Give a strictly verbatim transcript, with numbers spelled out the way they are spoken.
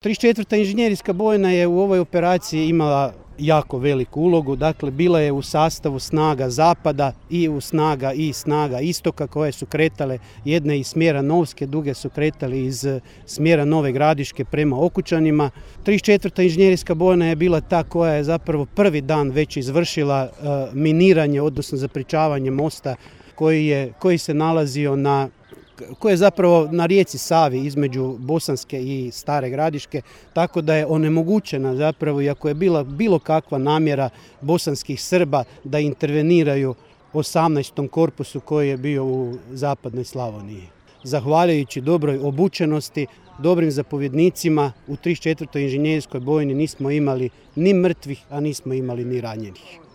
trideset četvrta inženjerijska bojna je u ovoj operaciji imala jako veliku ulogu, dakle bila je u sastavu snaga zapada i u snaga i snaga istoka koje su kretale jedne iz smjera Novske, druge su kretali iz smjera Nove Gradiške prema Okučanima. trideset četvrta inženjerijska bojna je bila ta koja je zapravo prvi dan već izvršila uh, miniranje, odnosno zapričavanje mosta koji, je, koji se nalazio na koje je zapravo na rijeci Savi između Bosanske i Stare Gradiške, tako da je onemogućena zapravo, iako je bila bilo kakva namjera bosanskih Srba da interveniraju osamnaestom korpusu koji je bio u zapadnoj Slavoniji. Zahvaljujući dobroj obučenosti, dobrim zapovjednicima, u trideset četvrtoj inženjerijskoj bojni nismo imali ni mrtvih, a nismo imali ni ranjenih.